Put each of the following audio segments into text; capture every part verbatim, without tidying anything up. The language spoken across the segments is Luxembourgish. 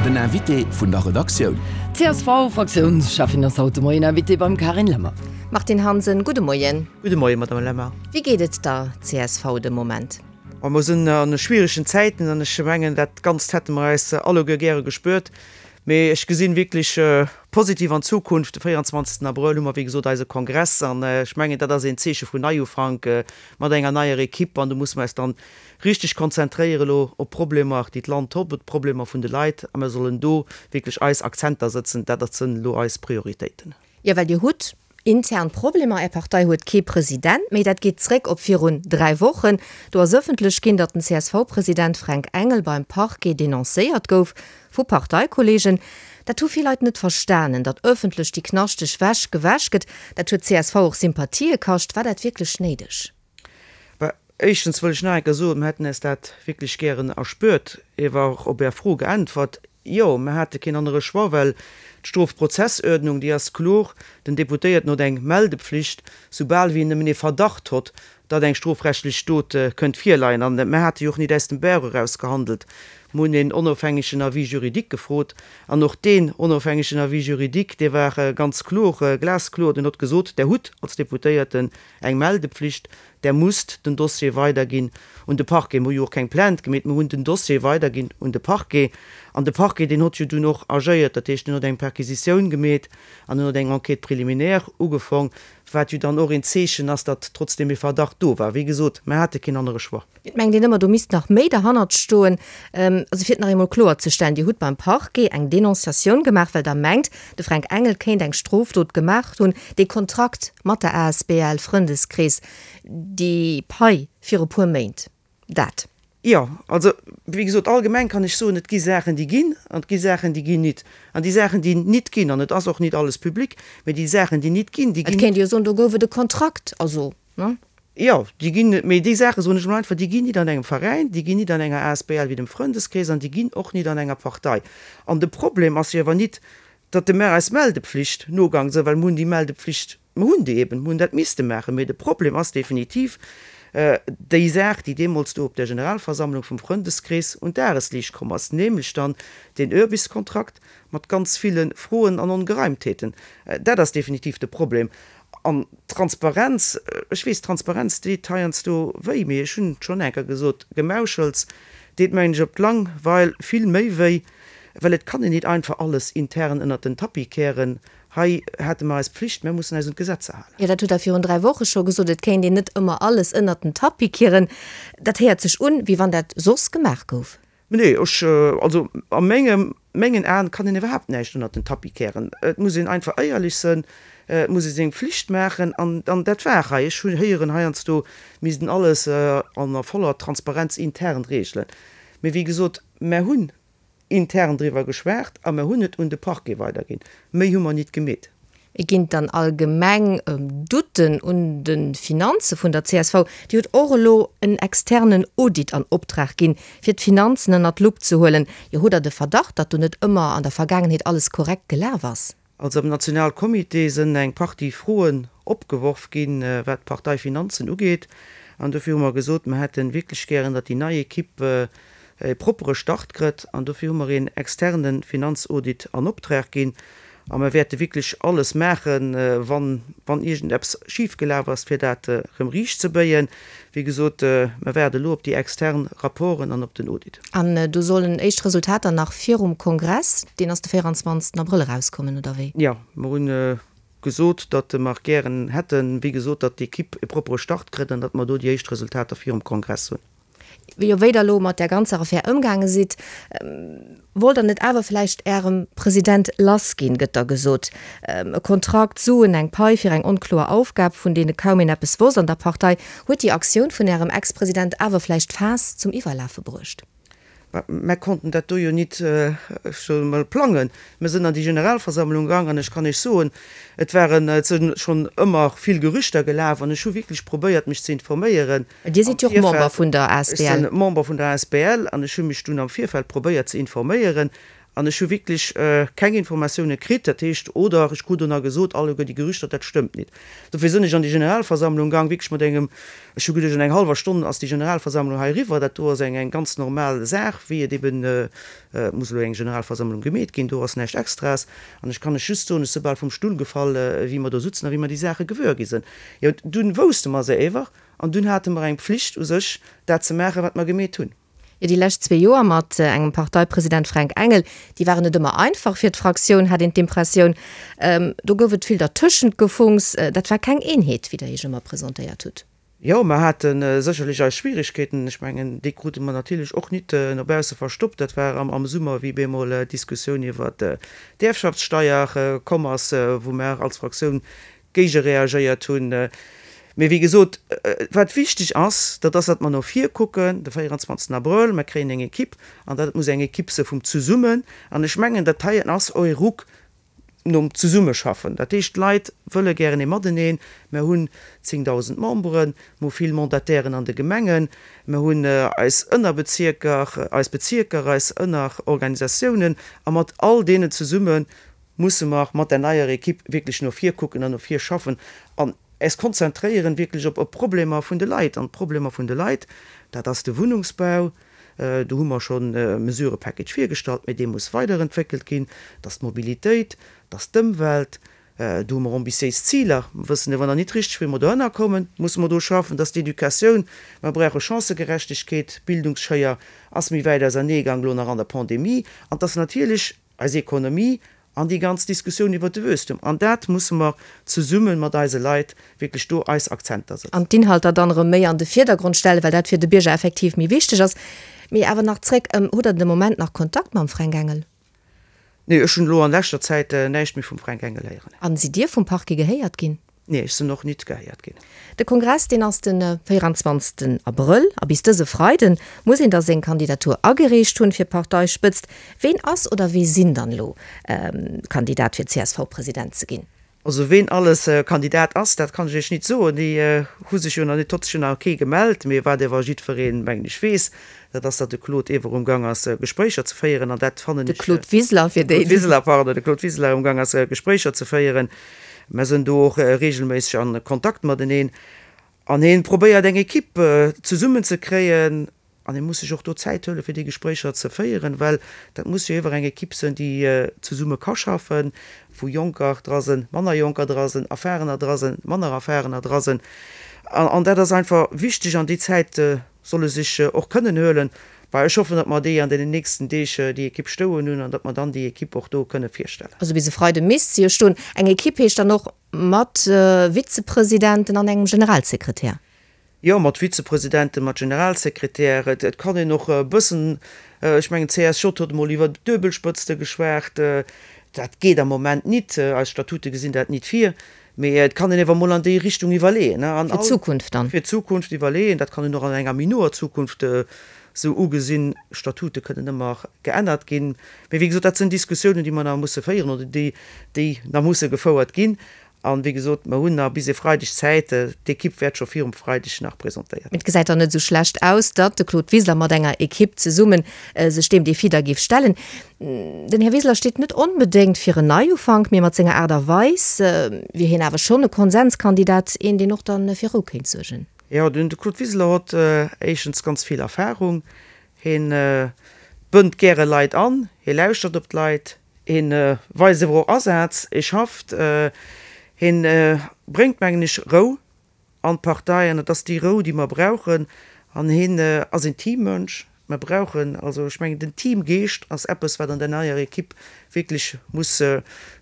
Den Invité vun der Redaktioun. D'CSV-Fraktiounscheffin ass haut de Moien Invitée beim Carine Lemmer. Martine Hansen, gudde Moien. Gudde Moien, Madame Lemmer. Wéi geet et der csv de Moment? Ma mer sinn an schwieregen Zäiten an ech mengen, dat Ganzt hätte mer eis alleguer gäre gespuert. Mee ech gesinn wierklech positiv an d'Zukunft. De véierundzwanzegsten Abrëll hu mer wéi gesot eise Kongress an ech mengen, dat ass een Zeeche vun Neiufank mat enger neier Equipe an do musse mer eis dann richteg konzentréiere lo op d'Problemer, déi d'Land hott, op d'Problemer vun de Leit a mer sollen do wierklech eis Akzenter sëtzen. Dat sënn lo eis Prioritéiten. Jo, well Dir hutt intern Problemer, Är Partei huet kee President méi. Dat geet zréck op virun dräi Wochen. Do ass ëffentlech ginn, datt den CSV-President Fränk Engel beim Parquet denoncéiert gouf vu Parteikollegen. Dat hu vill Leit net verstanen, datt ëffentlech déi knaschteg Wäsch gewäsch gëtt. Dat huet csv och Sympathië kascht. War dat wierklech néideg? Bah, éischtens wëll ech nach eng Kéier soen, mir hätten eis dat wierklech gären erspuert. Ewer och op Är Fro geäntwert, Jo, mir hate keen anere Choix, well d'Strofprozessordnung, déi ass kloer, den Deputéierten huet eng Meldepflicht, soubal wéi en nëmmen ee Verdacht hott, datt eng strofrechtlech Dot kënnt virleien. An mir hate jo och nit aus dem Bauch eraus gehandelt. Mir hunn een onofhängegen Avis juridique gefrot, an och deen onofhängegen Avis juridique, dee war ganz kloer, glaskloer, deen hott gesot, Der hutt als Deputéierten eng Meldepflicht, Der musst den Dossier weiderginn un de Parquet. Mir hu jo och keng Plainte gemeet, mir hunn den Dossier weiderginn un de Parquet. An de Parquet, deen hott jo dunn och agéiert, dat heescht, deen hott eng Perquisitioun gemeet an en hott eng Enquête préliminaire ugefong, wat jo dann och een Zeechen ass, datt trotzdeem e Verdacht do war. Wéi gesot, mir hate keen anere Choix. Et mengt een ëmmer, do misst nach méi derhannert stoen. Also fir et nach eemol kloerzestellen, Dir hutt beim Parquet eng Denonciatioun gemaach, well Der mengt, de Fränk Engel kéint eng Strofdot gemaach hunn, dee Kontrakt mat der asbl Frëndeskrees, déi Pai viru puer Méint, dat. Jo, also wéi gesot, allgemeng kann ech soen, et gi Saachen, déi ginn, an et gi Saachen, déi ginn nit. An déi Saachen, déi nit ginn, an et ass och nit alles public, mä déi Saachen, déi nit ginn, déi Et ginn. kéint ee jo soen, do gouf et e Kontrakt, also, ne? Jo, déi ginn, mä déi Saache soen ech emol einfach, déi ginn nit an engem Veräin, déi ginn nit an enger asbl wéi dem Frëndeskrees an déi ginn och nit an enger Partei. An de Problem ass jo awer nit, datt de mer eis Meldepflicht nogang sënn, well mer hunn déi Meldepflicht, mer hunn déi eben, mer hunn dat misste maachen. Mee de Problem ass definitiv déi Saach, déi deemools do op der Generalversammlung vum Frëndeskrees un d'Dagesliicht komm ass, nämlech dann deen Urbiskontrakt mat ganz ville Froen an Ongereimtheeten. Dat ass definitiv de Problem. An d'Transparenz, ech weess, Transparenz deet heiansdo wéi, mee ech hunn et schonn eng Kéier gesot, Gemauschels deet, mengen ech, op d'Lang Weil vill méi wéi, well et kann een nit einfach alles intern ënnert den Tapis kehren. Hei hate mer eis Pflicht, mer mussen eis un d'Gesetzer halen. Jo, dat hutt Der virun dräi Woche scho gesot, et kéint een net ëmmer alles ënnert den Tapis kieren. Dat héiert sech un, wéi wann dat soss gemaach gouf. Nee, ech, also a mengem, mengen Aen kann een iwwerhaapt näischt ënnert den Tapis kehren. Et muss een einfach éierlech sënn, et muss ee seng Pflicht maachen an, an dat war hei. Ech hunn héieren heiansdo, misst een alles an a voller Transparenz intern regelen. Mee wéi gesot, mer hunn intern driwwer geschwat a mer hunn et un de Parquet weiderginn. Méi hu mer nit gemeet. Et ginn dann allgemeng Doutten un de Finanze vun der csv. Déi huet och elo en externen Audit an Optrag ginn, fir d'Finanzen ënnert d'Lupp ze huelen. Jo, hutt Der de Verdacht, datt do net ëmmer an der Vergaangenheet alles korrekt gelaf ass? Also am Nationalcomité sënn eng Partie Froen opgeworf ginn, wat d'Parteifinanzen ugeet. An dofir hu mer gesot, mer hätte wierklech gären, datt déi nei Equipe e proppere Start kritt an dofir hu mer een externe Finanzaudit an Optrag ginn a mer wäerte wierklech alles maachen, wann, wann iergendeppes schif gelaf ass, fir dat erëm riicht ze béien. Wéi gesot, mer waarde elo op déi extern Rapporten an op den Audit. An do sollen éischt Resultater nach virum Kongress, deen ass de véierundzwanzegsten Abrëll, erauskommen, oder wéi? Jo, mer hunn gesot, datt mer gären hätten, wéi gesot, datt d'Equipe e proppere Start kritt an datt mer do déi éischt Resultater virum Kongress hunn. Jo, wéi Der elo mat där ganzer Affär ëmgaange sidd, wollt Der net awer vläicht Ärem President lass ginn, gëtt da gesot. E Kontrakt, Suen, eng Pai fir eng onkloer Aufgab, vun deene kaum een eppes wosst an der Partei. Huet déi Aktioun vun Ärem Ex-President awer vläicht d'Faass zum Iwwerlafe bruecht? Mä konnten dat do jo nit, ech soen emol, plangen. Mir sinn an déi Generalversammlung gaang an ech kann Iech soen, et waren, et si schonn ëmmer vill Gerüchter gelaf an ech hu wierklech probéiert, mech ze informéieren Dir am sidd jo och Member Virfeld. vun der Ech asbl. si Member vun der asbl an ech hu mech dunn am Virfeld probéiert ze informéieren An ech hu wierklech keng Informatioune kritt. Dat heescht, oder ech krut dono gesot, alleguer déi Gerüchter, dat stëmmt nit. Dofir sinn ech an déi Generalversammlung gaang, wierklech mat engem, ech hu geduecht, an eng hallwer Stonn ass déi Generalversammlung hei eriwwer. Dat do ass eng eng ganz normal Saach, wéi et eben muss elo eng Generalversammlung gemeet ginn. Do ass näischt Extraes. An ech kann lech just soen, ech si bal vum Stull gefall, wéi mer do sutzen a wéi mer déi Saache gewuer gi sinn. Jo, dunn wousste mer se ewer an dunn hate mer eng Pflicht u sech, dat ze maachen, wat mer gemeet hunn. Jo, déi lescht zwee Joer mat engem Parteipresident Fränk Engel, déi waren net ëmmer einfach fir d'Fraktioun, hat een d'Impressioun. Do gouf et vill Dertëschentgefunks. Dat war keng Eenheet, wéi Der Iech ëmmer presentéiert hutt. Jo, mer hate sécherlech eis Schwierigkeeten. Ech mengen, déi krute mer natierlech och nit no bausse verstoppt. Dat war am Summer, wéi bemol d'Diskussioun iwwert d'Ierfschaftssteier komm ass, wou mer als Fraktioun géigereagéiert hunn. Mee wéi gesot, wat wichteg ass, dat ass, datt mer no vir kucken, de véierundzwanzegsten Abrëll, mer kréien eng Equipe, an dat muss eng Equipe se vum Zesummen, an ech mengen, dat heien ass och e Ruck nom Zesummeschaffen. Dat heescht, d'Leit wëlle gären ee Mateneen. Mer hunn zéngdausend Memberen, mer hu vill Mandatairen an de Gemengen, mer hunn eis Ënnerbezierker, eis Bezierker, eis Ënnerorganisatiounen, a mat all deenen zesumme musse mer mat där neier Equipe wierklech no vir kucken an no vir schaffen an eis konzentréieren wierklech op d'Problemer vun de Leit. An d'Problemer vun de Leit, dat ass de Wunnungsbau, do hu mer schonn e Mesurëpackage virgestallt, mä dee muss weiderentwéckelt ginn, dat ass d'Mobilitéit, dat ass d'Ëmwelt, do hu mer ambitiéis Ziler, mer wëssen awer nach nit richteg, wéi mer dohinner kommen, musse mer do schaffen, dat ass d'Educatioun, mer brauche Chancëgerechtegkeet, d'Bildungsschéier ass méi wäit auserneegaang elo nach an der Pandemie, an et ass natierlech eis Ekonomie an déi ganz Diskussioun iwwert de Wuesstum. An dat musse mer zesumme mat eise Leit wierklech do eis Akzenter setzen. An d'Inhalter dann erëm méi an de Virdergrond stellen, well dat fir de Bierger effektiv méi wichteg ass. Mee awer nach zréck, Hutt Der de Moment nach Kontakt mam Fränk Engel? Nee, ech hunn elo an leschter Zäit näischt méi vum Fränk Engel héieren. An sidd Dir vum Parquet gehéiert ginn? Nee, ech sinn och nit gehéiert ginn. De Kongress, deen ass de véieranzwanzegsten Abrëll a bis dëse Freide muss een da seng Kandidatur agereecht hunn fir d'Parteispëtzt. Ween ass oder wee sinn dann elo Kandidat fir C S V-President ze ginn? Also ween alles Kandidat ass, dat kann ech Iech nit soen. Déi hu sech jo nach nit, huet sech jo nach kee gemellt. Mee wat ewer jiddwereen, mengen ech, weess, dat ass, datt de Claude Ewer um Gang ass Gespréicher ze féieren an dat fannen De ech. Claude Wiseler, fir déi. Claude Wiseler, pardon, de Claude Wiseler um Gang ass Gespréicher ze féieren. Mer sinn do och regelméisseg an Kontakt mateneen an hien probéiert eng Equipe zesummen ze kréien an hie muss sech och do Zäit huelen fir déi Gespréicher ze féieren, well dat muss jo iwwer eng Equipe sinn, déi zesumme ka schaffen, wou Jonker dra sinn, manner Jonker dra sinn, Erfarener dra sinn, manner Erfarener dra sinn. An dat ass einfach wichteg an déi Zäit soll e sech och kënnen huelen. Bah, ech hoffen, datt mer déi an deenen nächsten Deeg déi Equipe stouen hunn an datt mer dann déi Equipe och do kënne virstellen. Also bis e Freide misst se jo stoen. Eng Equipe heescht dann och mat Vizepresidenten an engem Generalsekretär? Jo, mat Vizepresidenten, mat Generalsekretär. Et kann een och e bëssen, ech mengen d'C S J huet emol iwwer Duebelspëtzte geschwat. Dat geet am Moment nit, eis Statute gesinn dat nit vir. Mee et kann een ewer mol an déi Richtung iwwerleeën. Fir d'Zukunft dann? Fir d'Zukunft iwwerleeën. Dat kann een och an enger méi noer Zukunft esou ugesinn. Statute kënnen ëmmer geännert ginn. Mee wéi gesot, dat sinn Diskussiounen, déi mer nach musse féieren oder déi, déi nach musse gefouert ginn. An, wéi gesot, mer hunn nach bis e Freideg Zäit. D'Ekipp wäert scho virum Freideg nach presentéiert. Et gesäit dann net esou schlecht aus, datt de Claude Wiseler mat enger Ekipp zesummen sech deem Defi da géif stellen. Den Här Wiseler steet net onbedéngt fir en Neiufank, mee mat senger Aart a Weis wier hien awer schonn e Konsenskandidat, een deen och dann fir Rou kéint suergen. Jo, den Claude Wiseler huet éischtens ganz vill Erfahrung. Hien bënnt gäre Leit an, hie lauschtert op d'Leit, hien weist awer och Asaz, hie schafft, hien bréngt, mengen ech, Rou an d'Partei an et ass déi Rou, déi mer brauchen. An hien ass een Teammënsch. Mer brauchen, also ech mengen, den Teamgeescht ass eppes, wat an der neier Ekipp wierklech muss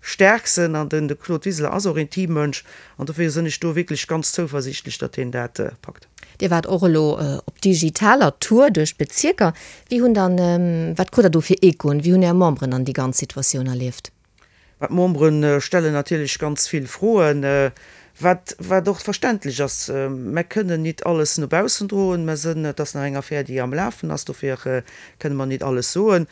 staark sinn. An den Claude Wiseler ass och een Teammënsch an dofir sinn ech do wierklech ganz zouversiichtlech, datt hien dat packt. Dir waart och elo op digitaler Tour duerch d'Bezierker. Wéi hunn dann, wat krut Der do fir Echoen? Wéi hunn Är Memberen dann déi ganz Situatioun erlieft? Mä d'Membere stellen natierlech ganz vill Froen, wat, wat och verständlech ass. Mer kënnen nit alles no baussen droen. Mer sënn, et ass nach eng Affär, déi am Lafen ass, dofir kënne mer nit alles soen.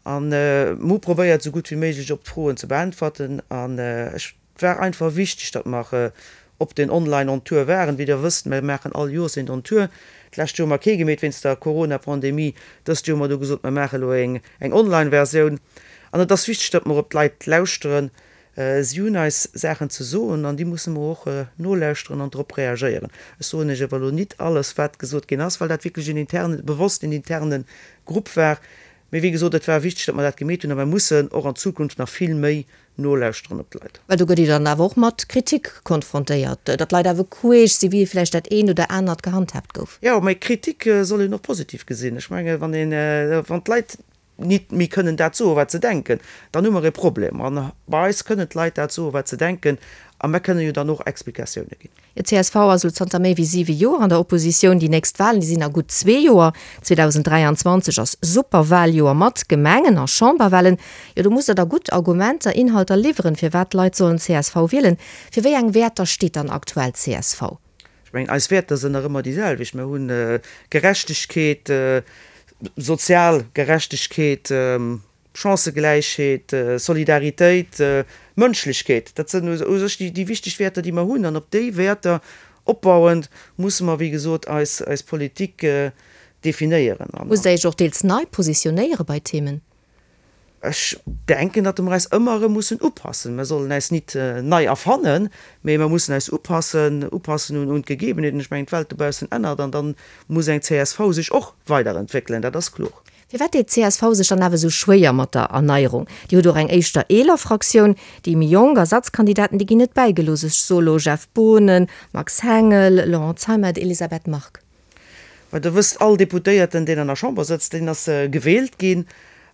An mer hu probéiert, esou gutt wéi méiglech op d'Froen ze beäntwerten. An ech, et war einfach wichteg, datt mer op den Online on Tour waren. Wéi Der wësst, mer maachen all Joers een on Tour. D'lescht Joer hu mer kee gemeet wéinst der Corona-Pandemie. Dëst Joer hu mer du gesot, mer maache elo eng, eng Online-Versioun. An et ass wichteg, datt mer op d'Leit lauschteren. Si hunn eis Saachen ze soen an déi musse mer och nolauschteren an drop reagéieren. Ech soen Iech awer elo nit alles, wat gesot ginn ass, well dat wierklech en internen, bewosst en interne Grupp war. Mee wéi gesot, et war wichteg, datt mer dat gemeet hunn a mer mussen och an Zukunft nach vill méi nolauschteren op d'Leit. Well do gëtt Dir dann awer och mat Kritik konfrontéiert, datt d'Leit awer queesch si wéi vläicht dat eent oder anert gehandhaabt gouf. Jo, mee Kritik soll een och positiv gesinn. Ech menge wann een, wann d'Leit nit méi kënnen dat soen, wat se denken, dann hu mer e Problem. An bei eis kënnen d'Leit dat soen, wat se denken, a mer kënnen jo dann och Explikatioune ginn. D'CSV ass elo zanter méi wéi siwe Joer an der Oppositioun. Déi nächst Walen, déi sinn a gutt zwee Joer. zweedausenddräianzwanzeg ass Superwaljoer mat Gemengen a Chamberwalen. Jo, do musst Der da gutt Argumenter, Inhalter liwweren, firwat d'Leit sollen csv wielen. Fir wéi eng Wäerter steet dann aktuell csv? Ech mengen, eis Wäerter sinn nach ëmmer déi selwecht. Mer hunn Gerechtegkeet, sozial Gerechtegkeet, Chancëgläichheet, Solidaritéit, Mënschlechkeet, dat sinn u sech déi wichteg Wäerter, déi mer hunn. An op déi Wäerter opbauend musse mer, wéi gesot, eis Politik definéieren. Musst Der Iech och deels nei positionéiere bei Themen? Ech denken, datt mer eis ëmmer erëm mussen upassen. Mer sollen eis nit nei erfannen, mee mer mussen eis upassen, upassen un d'Gegebenheeten. Ech mengen, d'Welt dobaussen ännert an da muss eng csv sech och weiderentwéckelen, dat ass kloer. Firwat deet csv sech dann awer esou schwéier mat der Erneierung? Dir hutt och eng éischter eeler Fraktioun, déi méi jonk Ersatzkandidaten, déi ginn net bäigelooss. Ech soe lo Jeff Boonen, Max Hengel, Laurent Zeimet, Elisabeth Margue. Well Der wësst, all Deputéierten, deen an der Chamber sëtzt, deen ass gewielt ginn.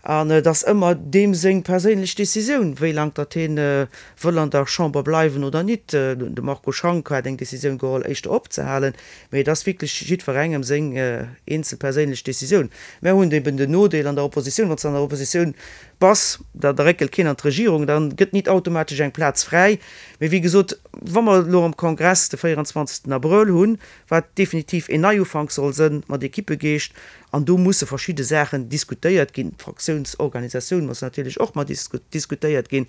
An et ass ëmmer deem seng perséinlech Decisioun, wéi laang datt hien wëll an der Chamber bleiwen oder nit. De Marco Schank hat eng Decisioun geholl, éischter opzehalen. Mee et ass wierklech jiddwerengem seng eenzel perséinlech Decisioun. Mär hunn eben den Nodeel an der Oppositioun, wann s de an der Oppositioun bass, da réckelt keen an d'Regierung, da gëtt nit automatesch eng Plaz fräi. Mee wéi gesot, wa mer elo am Kongress de véierundzwanzegsten Abrëll hunn, wat definitiv een Neiufank soll sënn mat Equippegeescht, An do musse verschidde Saachen diskutéiert ginn. D'Fraktiounsorganisatioun muss natierlech och mat diskutéiert ginn.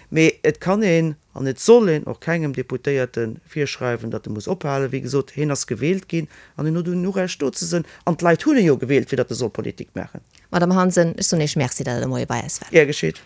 Mee et kann een an et soll een och kengem Deputéierte virschreiwen, datt e muss ophalen. Wéi gesot, hien ass gewielt ginn an hien huet un Urecht do ze sënn. An d'Leit hunn e jo gewielt, fir datt e soll Politik maachen. Madame Hansen, ech soen Iech Merci, datt Der de Moie bei eis waart. Gär geschéet.